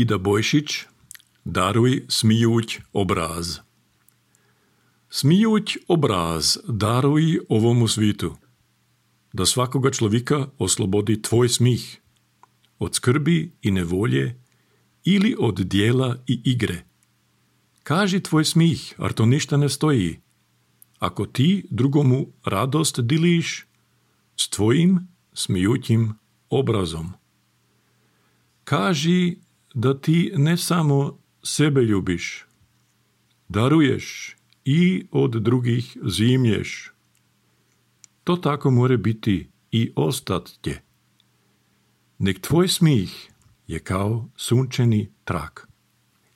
Ida Bojšić, daruj smijuć obraz. Smijuć obraz daruj ovomu svitu, da svakoga človeka oslobodi tvoj smih, od skrbi i nevolje ili od dijela i igre. Kaži tvoj smih, ar to ništa ne stoji. Ako ti drugomu radost diliš s tvojim smijućim obrazom. Kaži da ti ne samo sebe ljubiš, daruješ i od drugih zimlješ. To tako more biti i ostat će. Nek tvoj smih je kao sunčani trak.